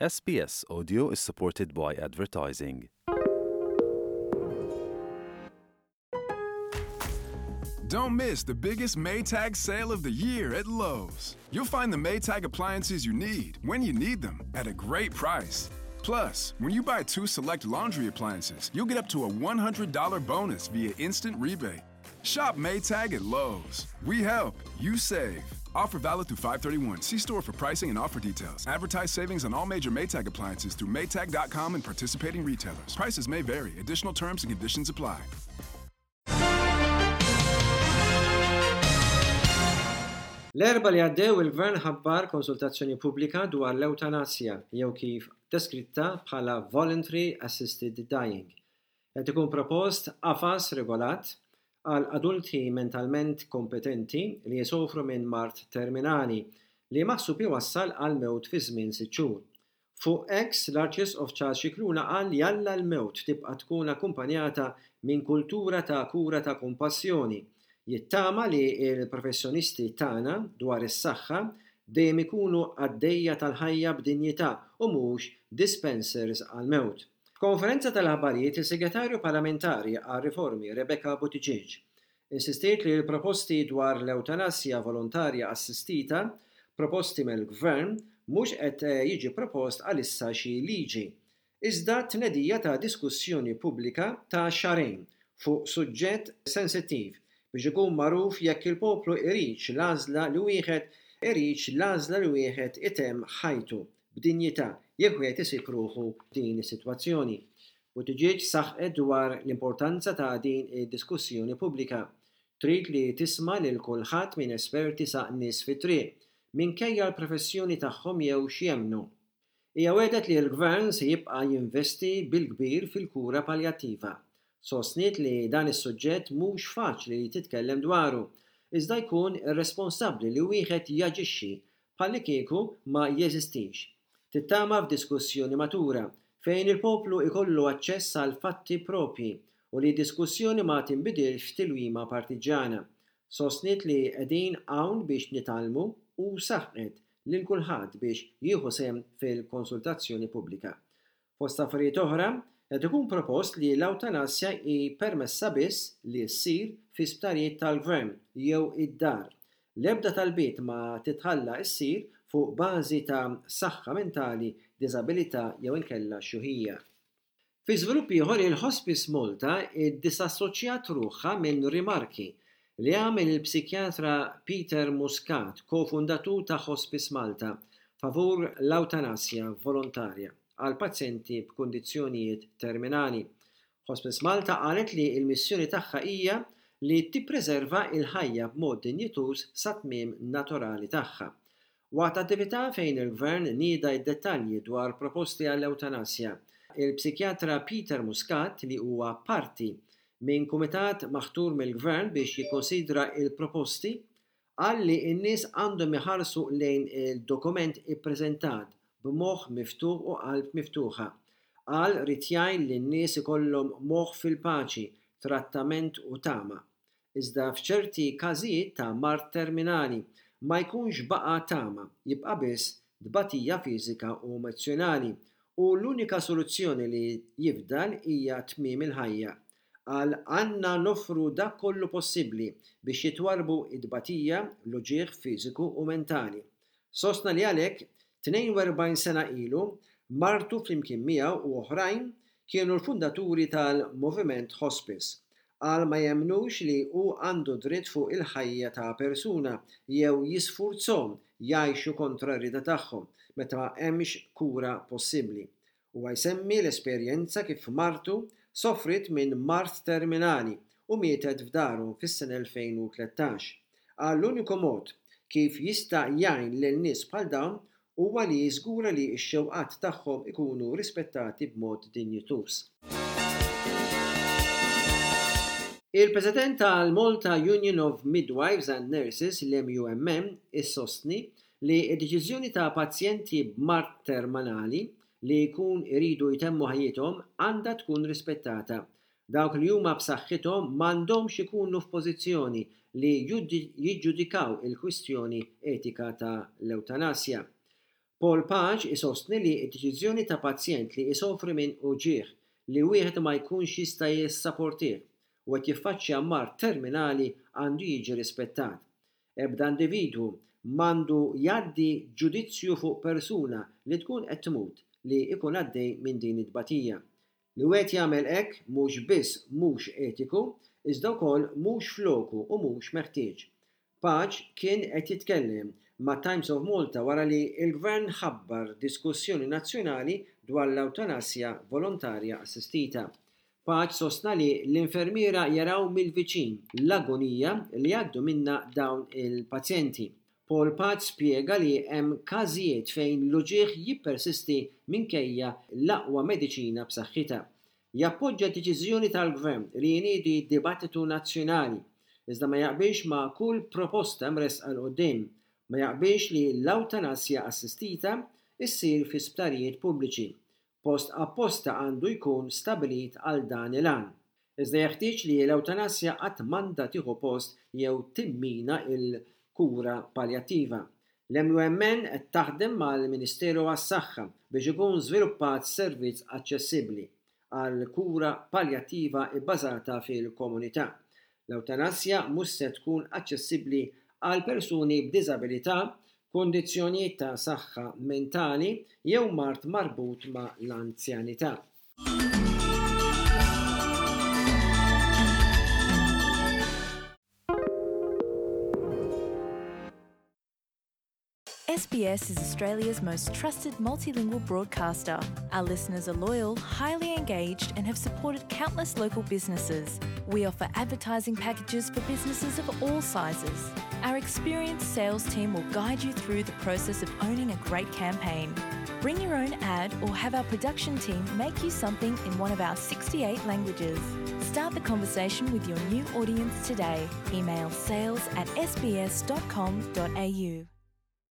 SBS Audio is supported by advertising. Don't miss the biggest Maytag sale of the year at Lowe's. You'll find the Maytag appliances you need when you need them at a great price. Plus, when you buy two select laundry appliances, you'll get up to a $100 bonus via instant rebate. Shop Maytag at Lowe's. We help, you save. Offer valid through 531. See store for pricing and offer details. Advertise savings on all major Maytag appliances through Maytag.com and participating retailers. Prices may vary. Additional terms and conditions apply. L-Erbgħa li għaddew il-Gvern ħabbar konsultazzjoni pubblika dwar l-ewtanasja jew kif deskritta bħala voluntary assisted dying. Qed ikun propost qafas regolat għal adulti mentalment kompetenti li jsofru minn mard terminali li maħsub iwassal għall-mewt fi żmien sitt xhur. Fuq X, l-Arċisqof Charles Scicluna qal li jalla l-mewt tibqa' tkun akkumpanjata minn kultura ta' kura ta' kompassjoni. Jittama li l-professjonisti tagħna dwar is-saħħa dejjem ikunu qaddejja tal-ħajja b'dinjità u mhux dispensers għall-mewt. F'konferenza tal-aħbarijiet is-Segretarju Parlamentari għar-Riformi Rebecca Buttigieg insistiet li l-proposti dwar l-ewtanasja volontarja assistita proposti mill-Gvern mhux qed jiġi propost għalissa xi liġi iżda t-tnedija ta' diskussjoni pubblika ta' xahrejn fuq suġġett sensittiv biex ikun magħruf jekk il-poplu iridx l-għażla li wieħed iridx l-għażla li wieħed itemm ħajtu b'dinjità jekk wieħed isib ruħu f'din is-sitwazzjoni. Buttigieg saħqet dwar l-importanza ta' din id-diskussjoni pubblika. Trid li tisma' lil kulħadd minn esperti sa nies fit-triq, minkejja l-professjoni tagħhom jew x'jemmnu. Hija wegħdet li l-Gvern se jibqa' jinvesti bil-kbir fil-kura paljattiva. Sostniet li dan is-suġġett mhux faċli li titkellem dwaru, iżda jkun irresponsabbli li wieħed jaġixxi bħallikieku ma jeżistix. Tittama f'diskussjoni matura, fejn il-poplu jkollu aċċess għal fatti proprji u li d-diskussjoni ma tinbidilx f'tilwima partiġġjana. Sostniet li qegħdin hawn biex nitgħallmu u saħqet lil kulħadd biex jieħu sehem fil-konsultazzjoni pubblika. Fost affarijiet oħra, qed ikun propost li l-awtanasja hi permessa biss li ssir fi sptarijiet tal-Gvern jew id-dar. L-ebda talbiet ma titħalla ssir fuq bażi ta' saħħa mentali, diżabilità jew inkella xjuħija. Fi żvilupp ieħor, il-Hospice Malta ddisassoċjat ruħha minn rimarki li għamel il-psikjatra Peter Muscat, ko-fundatur ta' Hospice Malta, favur l-awtanasja volontarja għal pazjenti b'kundizzjonijiet terminali. Hospice Malta qalet li l-missjoni tagħha hija li tippreserva l-ħajja b'mod dinjituż sat-tmiem naturali tagħha. Waqt attività fejn il-Gvern nieda d-dettalji dwar proposti għall-ewtanasja, il-psikjatra Peter Muscat, li huwa parti minn kumitat maħtur mill-Gvern biex jikkonsidra l-proposti, qal li n-nies għandhom iħarsu lejn il-dokument ippreżentat b'moħħ miftuħ u qalb miftuħa. Qal ried jgħin lin-nies ikollhom moħħ fil-paċi, trattament u tama. Iżda f'ċerti każijiet ta' mard terminali ma jkunx baqa' tama, jibqa' biss tbatija fiżika u emozzjonali u l-unika soluzzjoni li jifdal hija tmiem il-ħajja. Qal għandna noffru dak kollu possibbli biex jitwarrbu t-tbatija, l-uġigħ fiżiku u mentali. Sostna li għalhekk, 42 sena ilu, martu flimkien miegħu u oħrajn kienu l-fundaturi tal-Moviment Hospice. Qal ma jemmnux li hu għandu dritt fuq il-ħajja ta' persuna jew jisfurzhom jgħixu kontra r-rieda tagħhom meta ma hemmx kura possibbli. Huwa jsemmi l-esperjenza kif martu sofriet minn mard terminali u mietet f'daru fis-sena 2013. Qal l-uniku mod kif jista' jgħin lil nies bħal dawn huwa li jiżgura li x-xewqat tagħhom ikunu rispettati b'mod dinjituż. Il-President tal-Malta Union of Midwives and Nurses, l-MUMN, issostni li d-deċiżjoni ta' pazjenti b'mard terminali li jkun iridu jtemmu ħajjithom għandha tkun rispettata. Dawk li huma b'saħħithom m'għandhomx ikunu f'pożizzjoni li jiġġudikaw il-kwistjoni etika ta' l-ewtanasja. Paul Pace isostni li d-deċiżjoni ta' pazjent li isofri minn uġigħ li wieħed ma jkunx jista' jissaportih u qed jiffaċċja mard terminali għandu jiġi rispettat. Ebda individwu m'għandu jgħaddi ġudizzju fuq persuna li tkun qed tmut li jkun għaddej minn din it-tbatija. Li wieħed jagħmel hekk mhux biss mhux etiku, iżda wkoll mhux f'loku u mhux meħtieġ. Pace kien qed jitkellem ma' Times of Malta wara li l-Gvern ħabbar diskussjoni nazzjonali dwar l-ewtanasja volontarja assistita. Pace sostna li l-infermiera jaraw mill-viċin l-agonija li jgħaddu minnha dawn il-pazjenti. Paul Pace spjega li hemm każijiet fejn l-uġigħ jippersisti minkejja l-aqwa mediċina b'saħħitha. Jappoġġa d-deċiżjoni tal-Gvern li jniedi dibattitu nazzjonali, iżda ma jaqbilx ma' kull proposta mressqa 'l quddiem. Ma jaqbilx li l-awtanasja assistita ssir fi sptarijiet pubbliċi. Post apposta għandu jkun stabbilit għal dan il-għan. Iżda jeħtieġ li l-ewtanasja qatt m'għandha tieħu post jew timmina l-kura paljattiva. L-MUMN qed taħdem mal-Ministeru għas-Saħħa biex ikun żviluppat servizz aċċessibbli għal kura paljattiva bbażata fil-komunità. L-ewtanasja mhux se tkun aċċessibbli għal persuni b'diżabilità, kundizzjonijiet ta' saħħa mentali jew mard marbut ma' l-anzjanità. SBS is Australia's most trusted multilingual broadcaster. Our listeners are loyal, highly engaged, and have supported countless local businesses. We offer advertising packages for businesses of all sizes. Our experienced sales team will guide you through the process of owning a great campaign. Bring your own ad or have our production team make you something in one of our 68 languages. Start the conversation with your new audience today. Email sales at sbs.com.au.